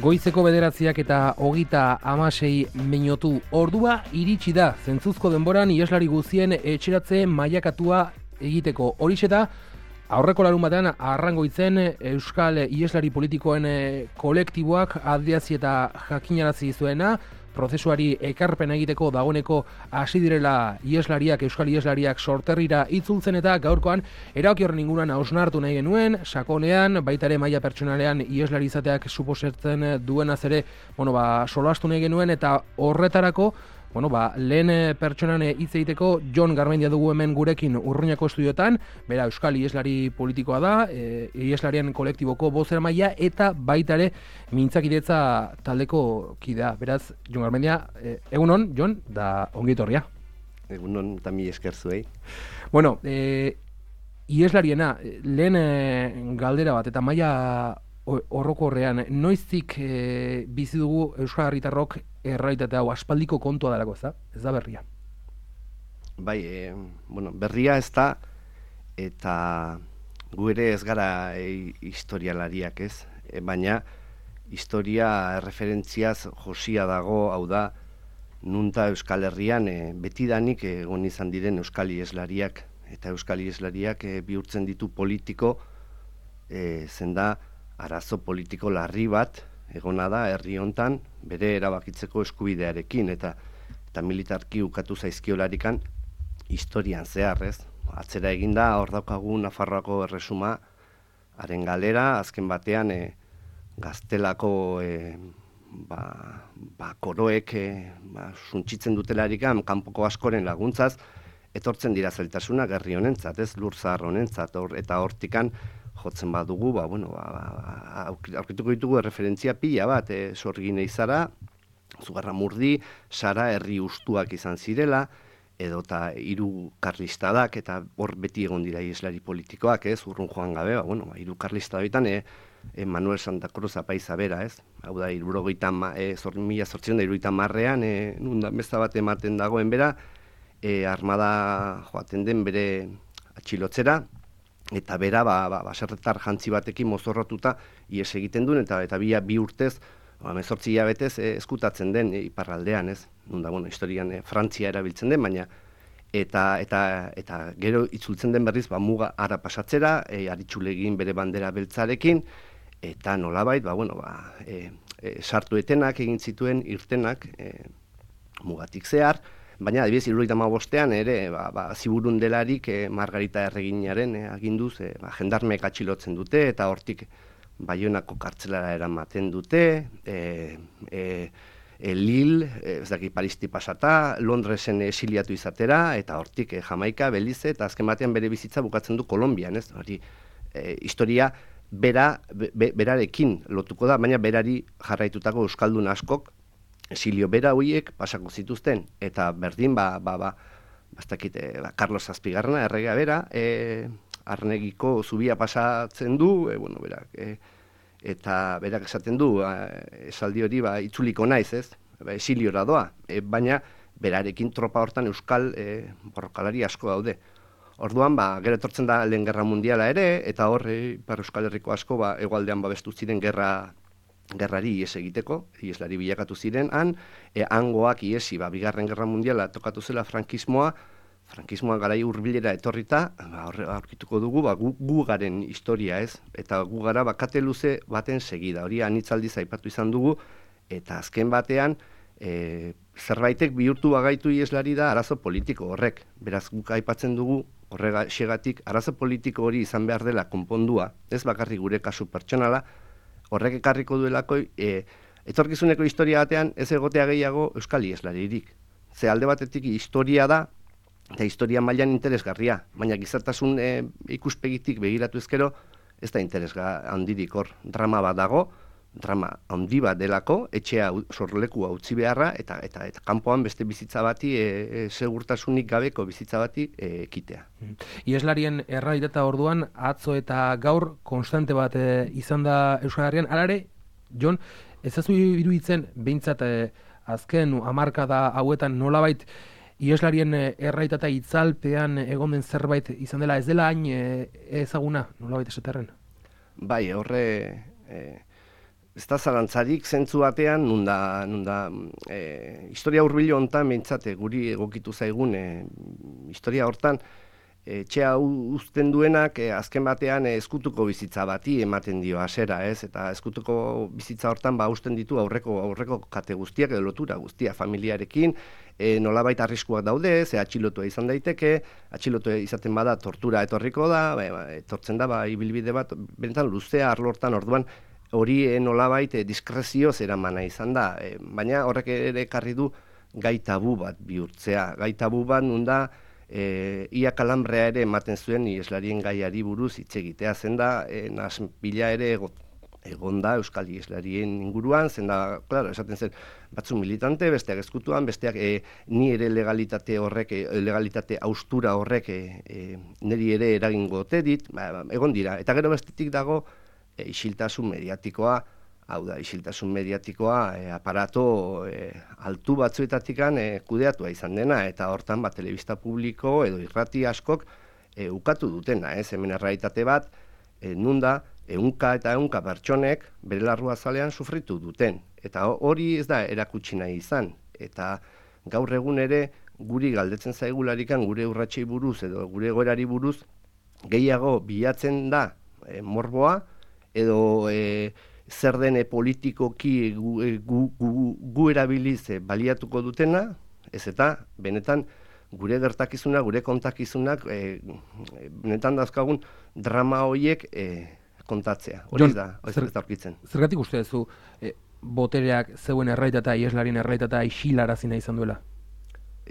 Goizeko 9:26 minutu ordua iritsi da. Zentzuzko denboran iheslari guztien etxeratze mailakatua egiteko. Horixe da aurreko larunbatean Arrangoitzen euskal iheslari politikoen kolektiboak adierazi eta jakinarazi zuena. Prozesuari ekarpen egiteko dagoeneko hasi direla euskal iheslariak sorterrira itzultzen, eta gaurkoan erabaki horren inguruan hausnartu nahi genuen, sakonean, baita ere maila pertsonalean iheslari izateak suposatzen duenaz ere, solastu nahi genuen, eta horretarako, lehen pertsonan hitz egiteko Jon Garmendia dugu hemen gurekin Urruñako estudiotan, bera euskal iheslari politikoa da, iheslarien kolektiboko bozeramailea eta baita ere mintzakidetza taldeko kidea. Beraz, Jon Garmendia, egunon, Jon, da ongi etorria. Egunon, eta mi esker zuei. Iheslariena, lehen galdera bat, eta maila orokorrean, noiztik bizi dugu euskal herritarrok errealitate hau? Aspaldiko kontua delako, ez da berria? Bai, berria ez da, eta gu ere ez gara historialariak, ez? Baina historia referentziaz josia dago, hau da, nunta Euskal Herrian betidanik egon izan diren euskal iheslariak, eta euskal iheslariak bihurtzen ditu politiko, zenda arazo politiko larri bat egona da herri hontan bere erabakitzeko eskubidearekin, eta militarki ukatu zaizkiolarikan historian zehar, ez? Atzera eginda, hor daukagu Nafarroako erresuma haren galera, azken batean gaztelako koroek suntsitzen dutelarikan kanpoko askoren laguntzaz etortzen dira zailtasunak herri honentzat, ez? Lur zahar honentzat, eta hortikan jotzen badugu, aurkituko ditugu erreferentzia pila bat, Sorgin Eizara, Zugarramurdi, Sara herri ustuak izan zirela, edota hiru karlistadak, eta hor beti egon dira iheslari politikoak, ez? Urrun joan gabe, hiru karlistadabitan, Manuel Santa Cruz apaiza bera, ez? Hau da, 1830ean, nundan besta bat ematen dagoen bera, armada joaten den bere atxilotzera, eta bera baserretar jantzi batekin mozorrotuta ihes egiten duen, eta bi urtez, 18 hilabetez eskutatzen den iparraldean, ez? Nunda, historian Frantzia erabiltzen den, baina eta gero itzultzen den berriz muga ara pasatzera, aritxulegin bere bandera beltzarekin, eta nolabait, sartu etenak egin zituen irtenak mugatik zehar. Baina, adibidez, 75ean ere, ziburundelarik Margarita Erreginaren aginduz, jendarmeek atxilotzen dute, eta hortik Baionako kartzelara eramaten dute, Lille, Paristi pasata, Londresen esiliatu izatera, eta hortik Jamaika, Belize, eta azken batean bere bizitza bukatzen du Kolonbian, ez? Historia berarekin lotuko da, baina berari jarraitutako euskaldun askok esilio bera horiek pasako zituzten, eta berdin, Carlos Zazpigarrena, erregea bera, Arnegiko zubia pasatzen du, eta berak esaten du, esaldi hori, itzuliko naiz, ez? Esiliora doa, baina berarekin tropa hortan euskal borrokalari asko daude. Orduan, gero etortzen da Lehen Gerra Mundiala ere, eta hor, Euskal Herriko asko, hegoaldean babestu ziren gerrari ihes egiteko, iheslari bilakatu ziren, hangoak ihesi, Bigarren Gerra Mundiala tokatu zela frankismoa garai hurbilera etorrita, aurkituko dugu, gu garen historia, ez? Eta gu gara kate luze baten segida, hori anitzaldiz aipatu izan dugu, eta azken batean, zerbaitek bihurtu bagaitu iheslari da arazo politiko horrek. Beraz, guk aipatzen dugu, horregatik, arazo politiko hori izan behar dela konpondua, ez bakarrik gure kasu pertsonala, horrek ekarriko duelako, etorkizuneko historia batean ez egotea gehiago euskal iheslaririk. Ze alde batetik historia da, eta historia mailan interesgarria, baina gizartasun ikuspegitik begiratu ezkero, ez da interesga handirik hor. Drama bat dago, drama handi bat delako, etxea sorlekua utzi beharra, eta kanpoan beste bizitza bati, segurtasunik gabeko bizitza bati ekitea. Iheslarien errealitatea orduan, atzo eta gaur konstante bat izan da Euskal Herrian. Hala ere, Jon, ez zazu iruditzen, behintzat azken hamarkada hauetan nolabait iheslarien errealitatea itzalpean egon den zerbait izan dela, ez dela hain ezaguna, nolabait esaterren? Bai, horre ez da zalantzarik zentzu batean, nunda historia hurbilo hontan behintzate guri egokitu zaigun historia hortan, etxea uzten duenak azken batean ezkutuko bizitza bati ematen dio hasiera, ez? Eta ezkutuko bizitza hortan uzten ditu aurreko kate guztiak edo lotura guztia familiarekin, nolabait arriskuak daude, ze atxilotua izan daiteke, atxilotua izaten bada tortura etorriko da, etortzen da ibilbide bat benetan luzea arlo hortan, orduan hori nolabait diskrezioz eramana izan da, baina horrek ere ekarri du gai tabu bat bihurtzea, gai tabu bat nunda ia kalambrea ere ematen zuen iheslarien gaiari buruz hitz egitea, zen da naspila ere egon da euskal iheslarien inguruan, zen da, claro, esaten zen batzu militante, besteak ezkutuan, besteak ni ere legalitate haustura horrek niri ere eragingo ote dit, egon dira, eta gero bestetik dago isiltasun mediatikoa, hau da, isiltasun mediatikoa aparato altu batzuetatikan kudeatua izan dena, eta hortan telebista publiko edo irrati askok ukatu dutena, hemen errealitate bat, nunda, ehunka eta ehunka pertsonek bere larrua zalean sufritu duten, eta hori ez da erakutsi nahi izan, eta gaur egun ere guri galdetzen zaigularikan gure urratsei buruz edo gure egoerari buruz gehiago bilatzen da morboa, edo zer den politikoki gu erabiliz baliatuko dutena, ez eta benetan gure gertakizuna, gure kontakizunak benetan dauzkagun drama horiek kontatzea. Hori da aurkitzen. Zergatik uste duzu botereak zeuen erraitatea, iheslarien erraitatea isilarazi nahi izan duela?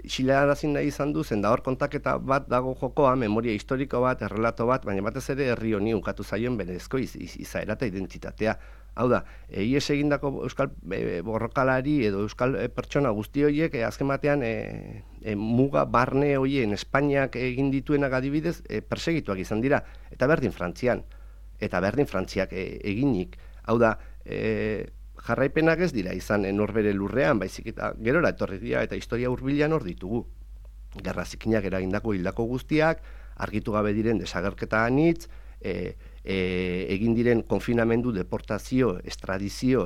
Isilarazi nahi izan du, zen da hor kontaketa bat dago jokoa, memoria historiko bat, errelato bat, baina batez ere herri honi ukatu zaion berezko izaera eta identitatea. Hau da, ihes egindako euskal borrokalari edo euskal pertsona guzti horiek azken batean muga barne horien Espainiak egin dituenak adibidez persegituak izan dira, eta berdin Frantzian, eta berdin Frantziak eginik. Hau da, jarraipenak ez dira izan norbere lurrean, baizik eta gerora etorri dira eta historia hurbilean hor ditugu. Gerra zikinak eragindako hildako guztiak, argitu gabe diren desagerketa anitz, egin diren konfinamendu, deportazio, estradizio,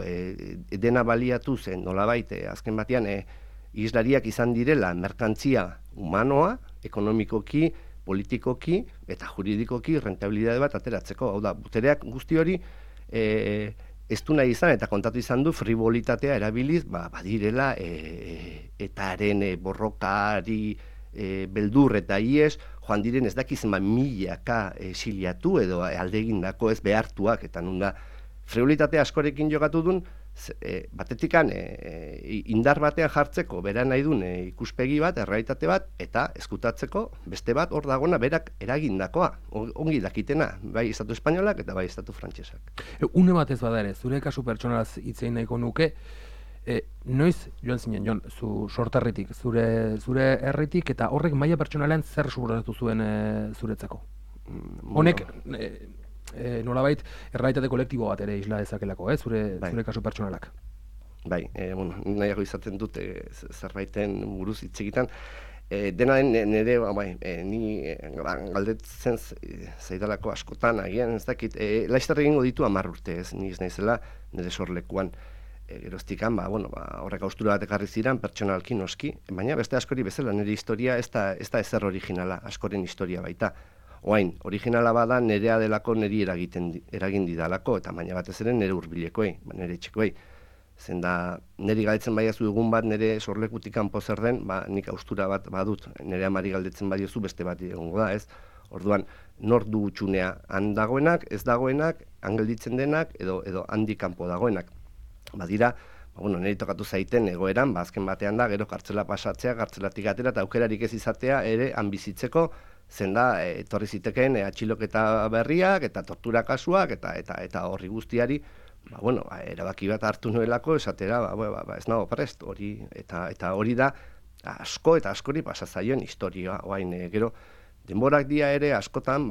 dena baliatu zen nolabait, azken batean islariak izan direla merkantzia humanoa, ekonomikoki, politikoki eta juridikoki rentabilitate bat ateratzeko. Hau da, botereak guzti hori ez du nahi izan eta kontatu izan du frivolitatea erabiliz, badirela etaren borrokari beldur eta ies, joan diren ez dakizen milaka exiliatu edo aldegindako ez behartuak, eta nunda frivolitatea askorekin jokatu duen, batetikan indar batean jartzeko bera nahi duen ikuspegi bat, errealitate bat, eta eskutatzeko beste bat hor dagona berak eragindakoa, ongi dakitena, bai estatu espainolak eta bai estatu frantsesak. Une batez bada ere, zure kasu pertsonalaz hitzein nahiko nuke, noiz joan zinen, Jon, zu sorterritik, zure herritik, eta horrek maila pertsonalean zer suposatu zuen zuretzako? Honek nolabait errealitate kolektibo bat ere isla dezakelako, zure kasu pertsonalak. Bai, nahiago izaten dut zerbaiten buruz hitz egiten. Dena nire, ni galdetzen zaidalako askotan, agian ez dakit, laizter egingo ditu 10 urte, ez niz naizela nire sorlekuan. Geroztikan, horrek haustura bat ekarri ziren, pertsonalki noski, baina beste askori bezala, nire historia ez da ezer originala, askoren historia baita. Oain, originala bada nerea delako niri eragin didalako, eta baina batez ere nire hurbilekoei, nire etxekoei. Zen da, niri galdetzen baiazu egun bat nire sorlekutik kanpo zer den, nik haustura bat badut, nire amari galdetzen badiozu beste bat egongo da, ez? Orduan, nor du utxunea, han dagoenak, ez dagoenak, han gelditzen denak, edo handi kanpo dagoenak. Badira, niri tokatu zaiten egoeran, azken batean da, gero kartzela pasatzea, kartzelatik atera eta aukerarik ez izatea ere han bizitzeko, zen da, etorri zitekeen atxiloketa berriak eta tortura kasuak eta horri guztiari, erabaki bat hartu nuelako esatera, ez nago prest, hori, eta hori da asko eta askori pasazaion historia, gero, denborak dia ere askotan,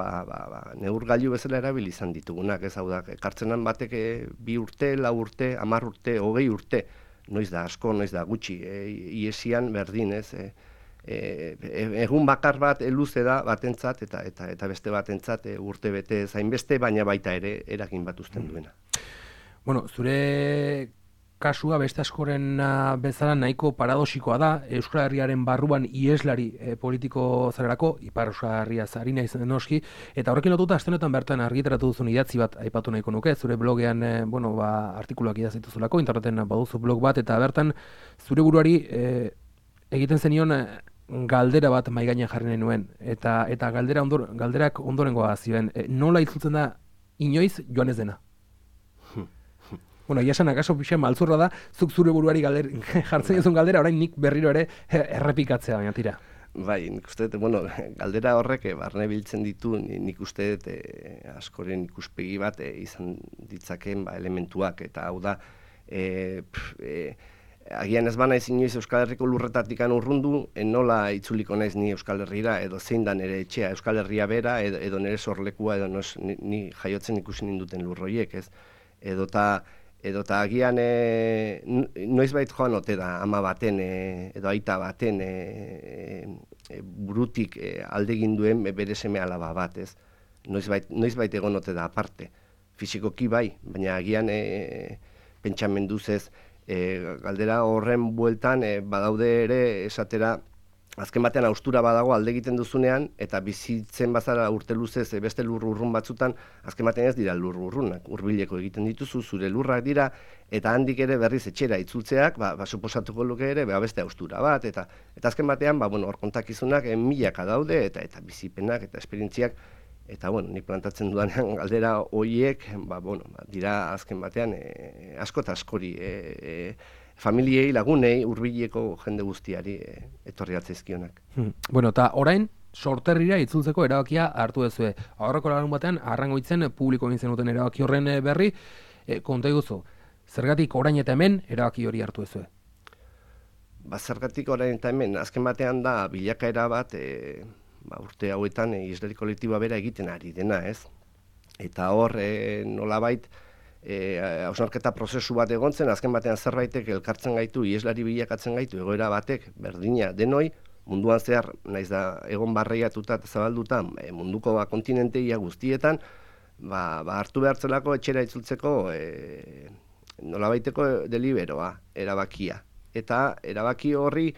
neurgailu bezala erabili izan ditugunak, ez hau da, kartzenan batek 2 urte, 4 urte, 10 urte, 20 urte, noiz da asko, noiz da gutxi, iesian berdin, ez, egun bakar bat luze da batentzat eta beste batentzat urte bete zainbeste, baina baita ere eragin bat uzten duena. Bueno, zure kasua beste askoren bezala nahiko paradoxikoa da, Euskal Herriaren barruan ieslari politiko zarelako, Ipar Euskal Herria zari naiz noski, eta horrekin lotuta aste honetan bertan argitaratu duzun idatzi bat aipatu nahiko nuke, zure blogean artikuluak idazituzulako, interneten baduzu blog bat, eta bertan zure buruari egiten zenion galdera bat mahai gainean jarri nahi nuen, eta galderak ondorengoa zioen, nola itzultzen da inoiz joan ez dena? Bueno, iasan akaso pixen maltzurra da, zuk zure buruari jartzen duzun galdera, orain nik berriro ere errepikatzea, baina tira. Bai, nik uste dut, galdera horrek barne biltzen ditu, nik uste dut askoren ikuspegi bat izan ditzakeen elementuak, eta hau da, agian ez bana ez inoiz Euskal Herriko lurretatik urrundu, nola itzuliko naiz ni Euskal Herrira, edo zein da nire etxea, Euskal Herria bera, edo nire sorlekua, edo ni jaiotzen ikusi ninduten lurroiek, ez? Edota agian noizbait joan ote da ama baten edo aita baten burutik aldegin duen bere seme alaba bat, ez? Noizbait egon ote da aparte. Fisikoki bai, baina agian pentsamenduz ez galdera horren bueltan badaude ere esatera azken batean haustura badago alde egiten duzunean, eta bizitzen bazara urte luzez beste lur urrun batzutan, azken batean ez dira lur urrunak, hurbileko egiten dituzu, zure lurrak dira, eta handik ere berriz etxera itzultzeak, suposatuko luke ere, beste haustura bat, eta azken batean, hor kontakizunak milaka daude, eta bizipenak, eta esperientziak, eta nik plantatzen dudanean galdera horiek, dira azken batean asko eta askori, familiei, lagunei, hurbileko jende guztiari etorri gatzaizkionak. Bueno, eta orain, Sorterrira itzultzeko erabakia hartu duzue. Aurreko larun batean, Arrangoitzen publiko egin zenuten erabaki horren berri, konta iguzu, zergatik orain eta hemen erabaki hori hartu duzue? Zergatik orain eta hemen, azken batean da bilakaera bat, urte hauetan islari kolektiboa bera egiten ari dena, ez? Eta hor, nolabait, hausnarketa prozesu bat egontzen, azken batean zerbaitek elkartzen gaitu, ieslari bilakatzen gaitu, egoera batek, berdina denoi, munduan zehar, naiz da egon barreiatuta eta zabalduta, munduko kontinenteia guztietan, hartu behartzelako etxera itzultzeko nolabaiteko deliberoa, erabakia. Eta erabaki horri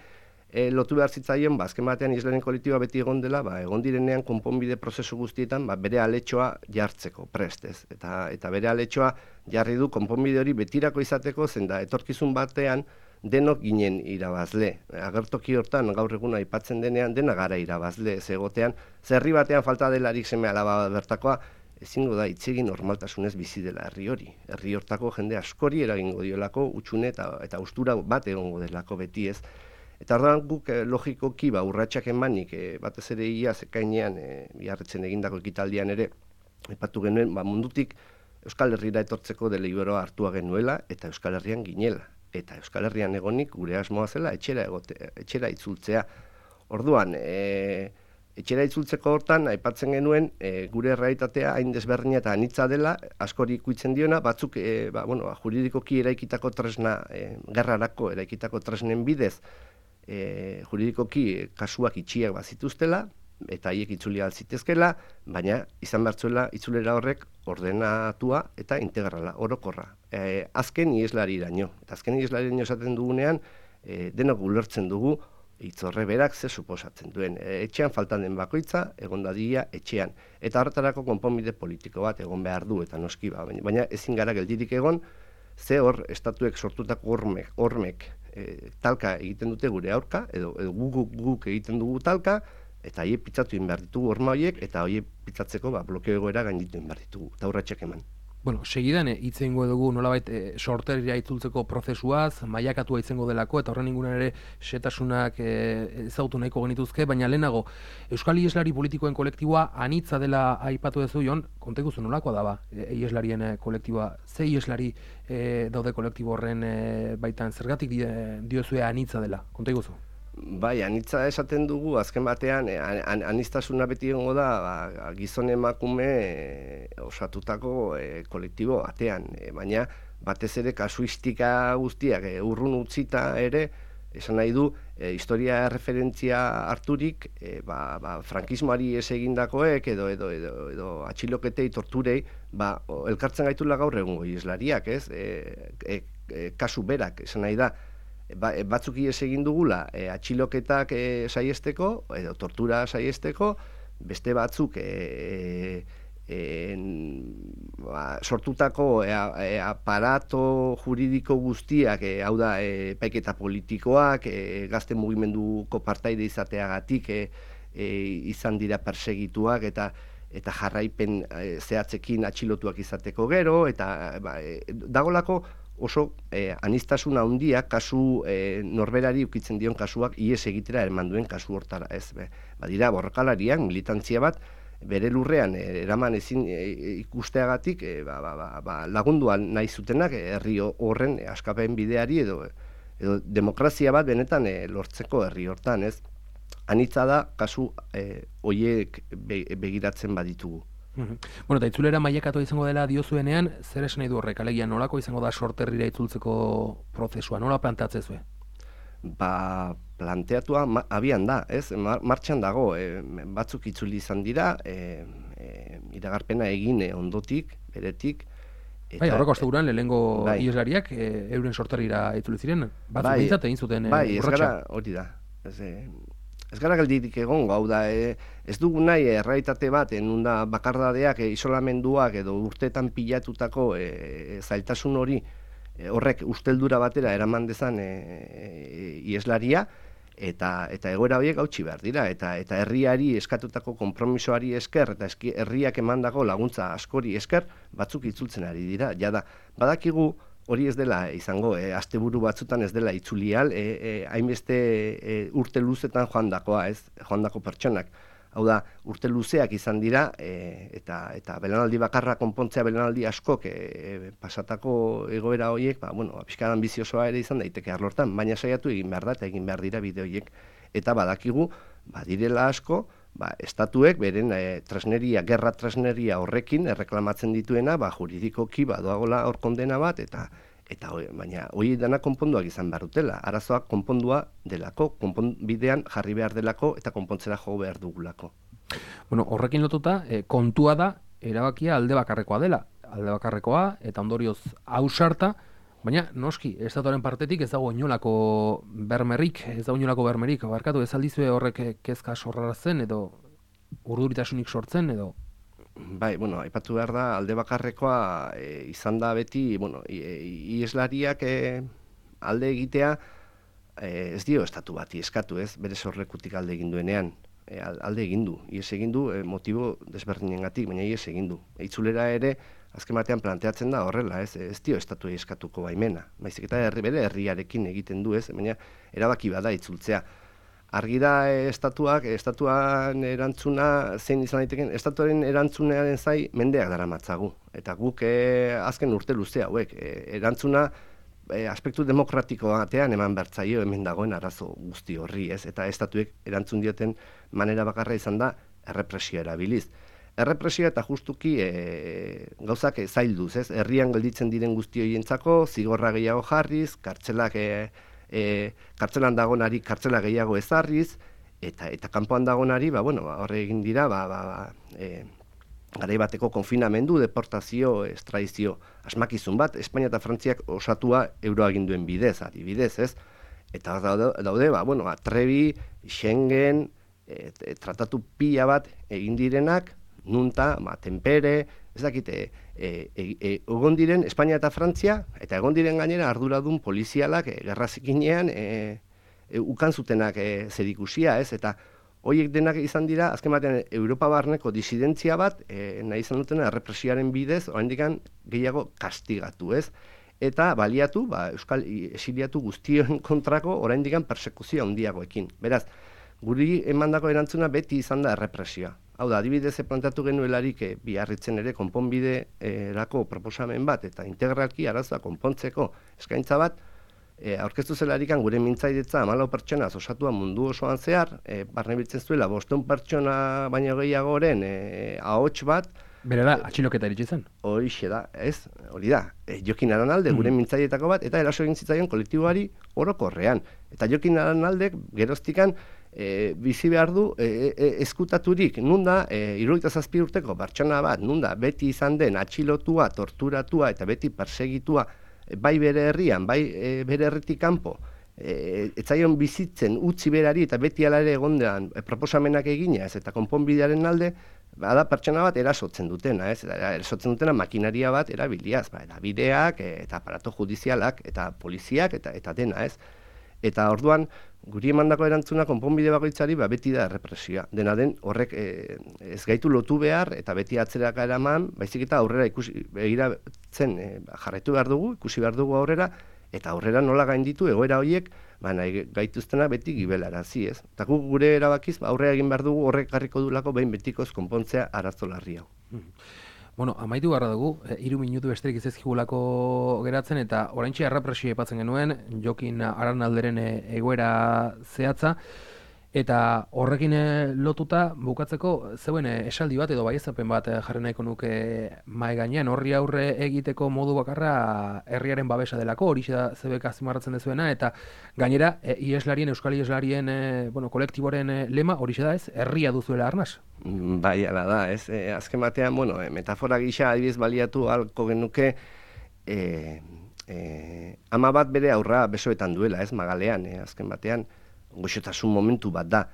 lotu behar zitzaien, azken batean islaren kolektiboa beti egon dela, egon direnean konponbide prozesu guztietan bere aletxoa jartzeko prestez. Eta bere aletxoa jarri du konponbide hori betirako izateko, zen da etorkizun batean denok ginen irabazle. Agertoki hortan gaur egun aipatzen denean dena gara irabazle ez egotean, zerri batean falta delarik seme alaba bertakoa, ezingo da itzegin normaltasunez bizi dela herri hori. Herri hortako jende askori eragingo diolako utxune eta austura bat egongo delako beti ez. Eta orduan guk logikoki urratsak emanik batez ere iaz ekainean biharretzen egindako ekitaldian ere aipatu genuen mundutik Euskal Herrira etortzeko deliberoa hartua genuela eta Euskal Herrian ginela. Eta Euskal Herrian egonik gure asmoa zela etxera itzultzea. Orduan, etxera itzultzeko hortan aipatzen genuen gure errealitatea hain desberdina eta anitza dela, askori ikuitzen diona, batzuk juridikoki eraikitako tresna, gerrarako eraikitako tresnen bidez, juridikoki kasuak itxiak bazituztela, eta haiek itzuli altzitezkela, baina izan bertzuela itzulera horrek ordenatua eta integrala, orokorra. Azken ieslari iraino. Eta azken ieslari iraino esaten dugunean, denok ulertzen dugu, itzorre berak ze suposatzen duen. Etxean faltan den bakoitza, egon dadia etxean. Eta horretarako konponbide politiko bat egon behar du, eta noski baina ezin gara geldirik egon, ze hor estatuek sortutako hormek talka egiten dute gure aurka, edo guk egiten dugu talka, eta horiek pitzatu egin behar ditugu horma horiek, eta horiek pitzatzeko blokeo egoera gainditu egin behar ditugu, eta urratsak eman. Bueno, segidan hitz egingo dugu nolabait Sorterrira itzultzeko prozesuaz, mailakatua izango delako, eta horren inguruan ere setasunak ezagutu nahiko genituzke, baina lehenago, Euskal Ieslari politikoen kolektiboa anitza dela aipatu duzu, Jon, konta iguzu nolakoa daba ieslarien kolektiboa, ze ieslari daude kolektibo horren baitan, zergatik diozue anitza dela, konta iguzu? Bai, anitza esaten dugu, azken batean, aniztasuna beti egongo da, gizon emakume osatutako kolektibo batean, baina batez ere kasuistika guztiak urrun utzita ere, esan nahi du, historia referentzia harturik, frankismoari ez egindakoek edo atxiloketei, torturei, elkartzen gaitula gaur egungo iheslariak, ez? Kasu berak, esan nahi da, batzuk ihes egin dugula atxiloketak saiesteko, edo tortura saiesteko, beste batzuk sortutako aparato juridiko guztiak, hau da, epaiketa politikoak, gazte mugimenduko partaide izateagatik izan dira persegituak eta jarraipen zehatzekin atxilotuak izateko gero, eta dagolako oso aniztasuna handiak kasu norberari ukitzen dion kasuak ihes egitera eraman duen kasu hortara, ez. Badira borrokalariak, militantzia bat, bere lurrean eraman ezin ikusteagatik lagunduan nahi zutenak herri horren askapen bideari edo demokrazia bat benetan lortzeko herri hortan, ez. Anitza da kasu horiek begiratzen baditugu. Bueno, eta itzulera mailakatua izango dela diozuenean, zer esan nahi du horrek, alegia nolako izango da sorterrira itzultzeko prozesua, nola planteatzezue? Planteatua abian da, ez? Martxan dago, batzuk itzuli izan dira, iragarpena egin ondotik, beretik. Horreko asteguran lehenengo iheslariak euren sorterrira itzuli ziren, batzuk bintzat egin zuten urratxa. Hori da, ez gara gelditik egongo, hau da, ez dugu nahi errealitate bat, nunda bakardadeak, isolamenduak edo urteetan pilatutako zailtasun hori, horrek usteldura batera eraman dezan iheslaria, eta egoera horiek hautsi behar dira, eta herriari eskatutako konpromisoari esker, eta herriak emandako laguntza askori esker, batzuk itzultzen ari dira. Jada, badakigu hori ez dela izango, asteburu batzutan ez dela itzulial, hainbeste urte luzetan joandakoa, ez, joandako pertsonak. Hau da, urte luzeak izan dira, eta belanaldi bakarra konpontzea belanaldi askok pasatako egoera horiek, pixka ambiziosoa ere izan daiteke arlortan, baina saiatu egin behar da, eta egin behar dira bide horiek. Eta badakigu, badirela asko, estatuek beren gerra tresneria horrekin erreklamatzen dituena, juridikoki badoagola hor kondena bat, baina hori dena konponduak izan behar dutela. Arazoak konpondua delako, konponbidean jarri behar delako eta konpontzera jo behar dugulako. Bueno, horrekin lotuta, kontua da, erabakia alde bakarrekoa dela. Alde bakarrekoa, eta ondorioz ausarta, baina noski, estatuaren partetik ez dago inolako bermerik, barkatu ez aldizue horrek kezka sorrarazten edo urduritasunik sortzen edo? Aipatu behar da, alde bakarrekoa izan da beti, iheslariak alde egitea ez dio estatu bati eskatu, ez, bere sorrekutik alde egin duenean, alde egin du, ihes egin du, motibo desberdinengatik, baina ihes egin du. Itzulera ere, azken batean planteatzen da horrela, ez dio estatu eskatuko baimena. Baizik eta bere herriarekin egiten du, ez, baina erabaki bada itzultzea. Argi da estatuan erantzuna zein izan daiteken, estatuaren erantzunearen zai mendeak daramatzagu. Eta guk azken urte luzea hauek, erantzuna aspektu demokratiko batean eman bertzaio hemen dagoen arazo guzti horri, ez, eta estatuek erantzun dioten manera bakarra izan da errepresioa erabiliz. Errepresioa eta justuki gauzak zailduz, ez? Herrian gelditzen diren guzti horientzako, zigorra gehiago jarriz, kartzelan dagonari kartzela gehiago ezarriz, eta kanpoan dagonari, horre egin dira, garai bateko konfinamendu, deportazio, estradizio, asmakizun bat, Espainia eta Frantziak osatua euroaginduen bidez, adibidez, ez? Eta daude, Trebi, Schengen, tratatu pila bat egin direnak, nunta, Tenpere, ez dakite, egon diren Espainia eta Frantzia, eta egon diren gainera arduradun polizialak gerrazikinean ukan zutenak zerikusia, ez? Eta horiek denak izan dira, azken batean, Europa barneko disidentzia bat, nahi izan dutena errepresioaren bidez, oraindik gehiago kastigatu, ez? Eta baliatu, euskal exiliatu guztien kontrako, oraindik persekuzio handiagoekin. Beraz, guri emandako erantzuna beti izan da errepresioa. Hau da, adibidez plantatu genuelarik biarritzen ere konponbiderako proposamen bat eta integralki arazoa konpontzeko eskaintza bat, aurkeztu zelarikan gure mintzaidetza 14 pertsona osatua mundu osoan zehar, barne biltzen zuela 500 pertsona baino gehiagoren ahots bat, Berela, atxiloketa iritsi zen. Horixe da, ez? Hori da. Jokin Aranalde gure mintzaietako bat, eta eraso egin zitzaion kolektiboari orokorrean. Eta Jokin Aranaldek geroztikan bizi behar du eskutaturik, nunda 77 urteko pertsona bat, nunda beti izan den atxilotua, torturatua eta beti persegitua, bai bere herrian, bai bere herritik kanpo, etzaion bizitzen utzi berari eta beti alare egondean proposamenak eginez eta konponbidearen alde, bada pertsona bat erasotzen dutena, ez? Erasotzen dutena makinaria bat erabiliaz, bideak eta aparato judizialak eta poliziak eta dena, ez? Eta orduan, guri emandako erantzuna konponbide bakoitzari beti da errepresioa. Dena den horrek ez gaitu lotu behar eta beti atzeraka eraman, baizik eta aurrera begiratzen jarraitu behar dugu, ikusi behar dugu aurrera, eta aurrera nola gainditu egoera horiek, nahi gaituztena beti gibelarazi, ez? Eta gure erabakiz aurrera egin behar dugu horrek garriko dulako behin betikoz konpontzea arazo larri hau. Bueno, amaitu garra dugu, 3 minutu besterik izezkigulako geratzen, eta oraintxe errepresio aipatzen genuen, Jokin Aranalderen egoera zehatza, eta horrekin lotuta bukatzeko zeuen esaldi bat edo baieztapen bat jarri nahiko nuke mahai gainean, horri aurre egiteko modu bakarra herriaren babesa delako, hori da zebek azpimarratzen dezuena, eta gainera euskal ieslarien kolektiboren lema hori da ez, herria duzuela arnaz. Bai, ala da, ez? Azken batean, metafora gisa adibidez baliatu halko genuke ama bat bere aurra besoetan duela, ez? Magalean, azken batean, goxotasun momentu bat da.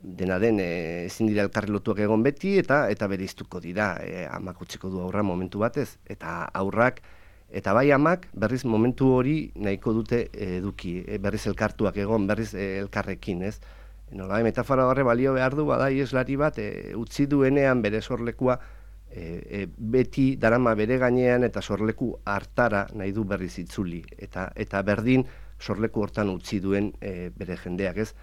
Dena den, ezin dira elkarri lotuak egon beti eta bereiztuko dira, amak utziko du aurra momentu batez, eta aurrak eta bai amak berriz momentu hori nahiko dute eduki, berriz elkartuak egon, berriz elkarrekin, ez? Nola, metafora horre balio behar du, bada ieslari bat, utzi duenean bere sorlekua beti darama bere gainean eta sorleku hartara nahi du berriz itzuli. Eta berdin sorleku hortan utzi duen bere jendeak, ez?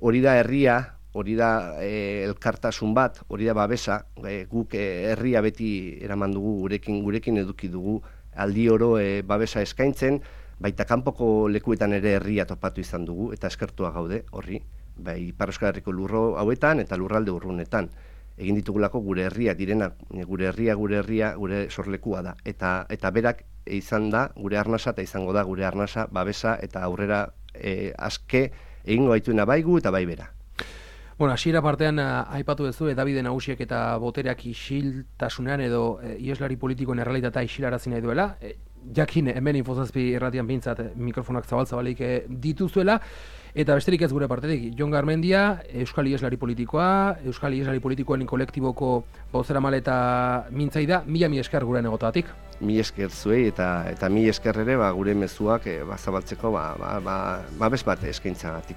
Hori da herria, hori da elkartasun bat, hori da babesa, guk herria beti eraman dugu gurekin eduki dugu aldi oro babesa eskaintzen, baita kanpoko lekuetan ere herria topatu izan dugu, eta eskertua gaude, horri, bai Ipar Euskal Herriko lurro hauetan eta lurralde urrunetan. Egin ditugulako gure herria direnak, gure herria, gure sorlekua da. Eta berak izan da, gure arnasa eta izango da gure arnasa, babesa eta aurrera aske egingo gaituena baigu eta bai bera. Bueno, hasiera partean aipatu duzu edabide nagusiek eta botereak isiltasunean edo ieslari politikoen errealitatea isilarazi nahi duela. Jakin hemen Infozazpi irratian bintzat mikrofonak zabalik dituzuela, eta besterik ez gure partetik. Jon Garmendia, Euskal Ieslari Politikoa, Euskal Ieslari Politikoen kolektiboko bozeramale eta mintzaida, mila esker gure negotatik. Mila esker zuei eta mila esker ere gure mezuak zabaltzeko babes bat eskaintzagatik.